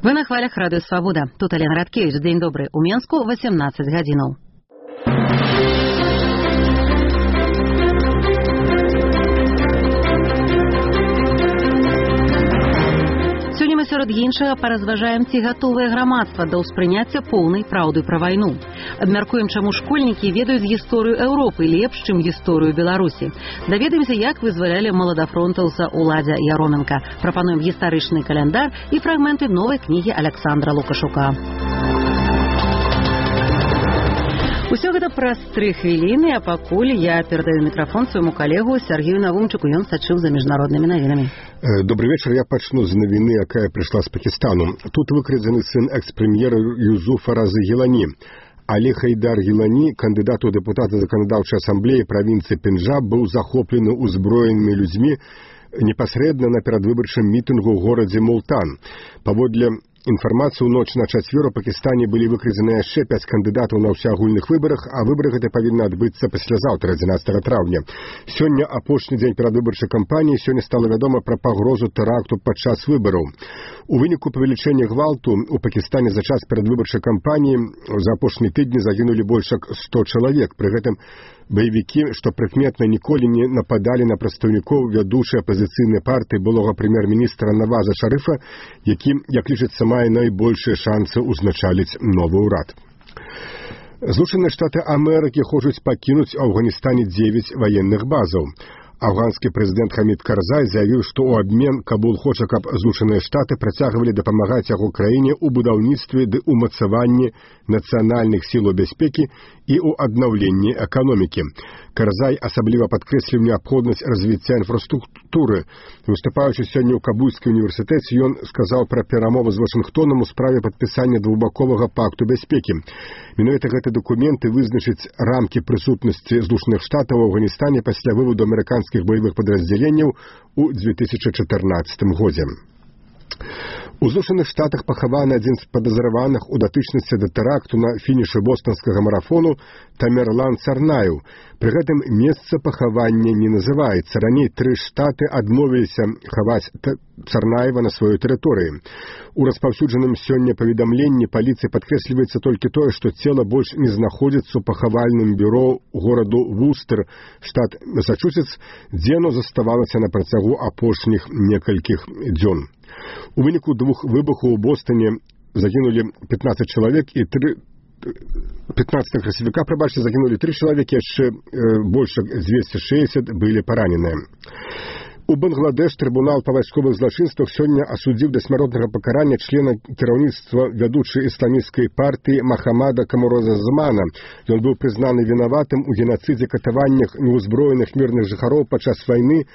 Вы на хвалях Радыё Свабода. Тут Алена Радкевич. Дзень добры. У Менску 18 гадзінаў. Сёння мы сярод іншага паразважаем, ці гатовае грамадства да ўспрыняцця поўнай праўды пра вайну. Абмяркуем, чаму школьнікі ведаюць гісторыю Еўропы лепш, чым гісторыю Беларусі. Даведаемся, як вызвалялі маладафронтаўца Уладзя Яроменка. Прапануем гістарычны каляндар і фрагменты новай кнігі Александра Лукашука. Усё гэта праз 3 хвіліны, а пакуль я перадаю мікрафон свайму калегу Сергею Навумчыку, ён сачыў за міжнароднымі навінамі. Добрый вечер, я пачну з навіны, якая прыйшла з Пакістану. Тут выкрадзены сын экс-прэм'ера Юзуфа Разы Гілані. Али Хайдар Гілані, кандыдат у дэпутата заканадаўчай асамблеі правінцыі Пенджаб, быў захоплены ўзброенымі людзьмі непасрэдна на перадвыбарчым мітынгу ў горадзе Мултан. Паводле інфармацыі, у ноч на чацвер у Пакістане былі выкрадзены яшчэ 5 кандыдатаў на ўсеагульных выбарах, а выбары гэта павінны адбыцца паслязаўтра, 11 траўня. Сёння апошні дзень перадвыбарчай кампаніі, сёння стала вядома пра пагрозу тэракту падчас выбараў. У выніку павелічэння гвалту у Пакістане за час перадвыбарчай кампаніі за апошні тыдні загінулі больш як 100 чалавек. Пры гэтым баевікі, што прыкметна, ніколі не нападалі на прадстаўнікоў вядучай апазіцыйнай партыі былога прэм'ер-міністра Наваза Шарыфа, які, як лічыцца, мае найбольшыя шансы ўзначаліць новы ўрад. Злучаныя Штаты Амерыкі хочуць пакінуць у Афганістане 9 ваенных базаў. Афганскі прэзідэнт Хамід Карзай заявіў, што ў абмен Кабул хоча, каб Злучаныя Штаты працягвалі дапамагаць яго краіне ў будаўніцтве ды ўмацаванні нацыянальных сілаў бяспекі і ў аднаўленні эканомікі. Карзай асабліва падкрэсліў неабходнасць развіцця інфраструктуры. Выступаючы сёння ў Кабульскім універсітэце, ён сказаў пра перамовы з Вашынгтонам у справе падпісання двухбаковага пакту бяспекі. Менавіта гэты дакумент вызначыць рамкі прысутнасці Злучаных Штатаў у Афганістане пасля выводу амерыканскіх баявых падраздзяленняў у 2014 годзе. У Злучаных Штатах пахаваны адзін з падазраваных у датычнасці да тэракту на фінішы бостанскага марафону Тамерлан Царнаеў. Пры гэтым месца пахавання не называецца. Раней 3 штаты адмовіліся хаваць Царнаева на сваёй тэрыторыі. У распаўсюджаным сёння паведамленні паліцыі падкрэсліваецца толькі тое, што цела больш не знаходзіцца ў пахавальным бюро гораду Вустер, штат Масачусетс, дзе оно заставалася на працягу апошніх некалькіх дзён. У выніку 2 выбухаў у Бостане загінулі 15 чалавек і 15 красавіка, загінулі 3 чалавекі, яшчэ больш 260 былі параненыя. У Бангладеш трыбунал па вайсковых злачынствах сёння асудзіў да смяротнага пакарання члена кіраўніцтва вядучай ісламісцкай партыі Махамада Камурозазмана. Ён быў прызнаны вінаватым у генацыдзе, катаваннях неўзброеных мірных жыхароў падчас вайны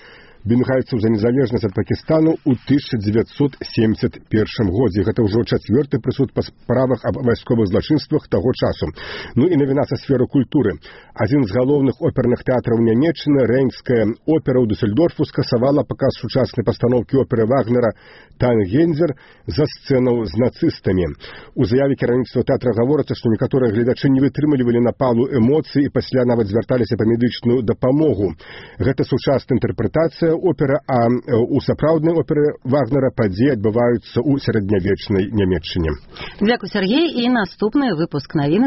бенгальцаў за незалежнасць ад Пакістану ў 1971 годзе. Гэта ўжо 4-й прысуд па справах аб вайсковых злачынствах таго часу. Ну і навіна са сферы культуры. Адзін з галоўных оперных тэатраў Нямецчыны, Рэйнская опера ў Дюссельдорфу, скасавала паказ сучаснай пастаноўкі оперы Вагнера «Тангензер» за сцэнаў з нацыстамі. У заяве кіраўніцтва тэатра гаворыцца, што некаторыя гледачы не вытрымлівалі напалу эмоцый і пасля нават звярталіся па медычную дапамогу. Гэта сучасная інтэрпрэтацыя опера, а у сапраўднай оперы Вагнера падзеі адбываюцца ў сярэднявечнай Нямецчыне. Дзякуй, Сергей, і наступны выпуск навіны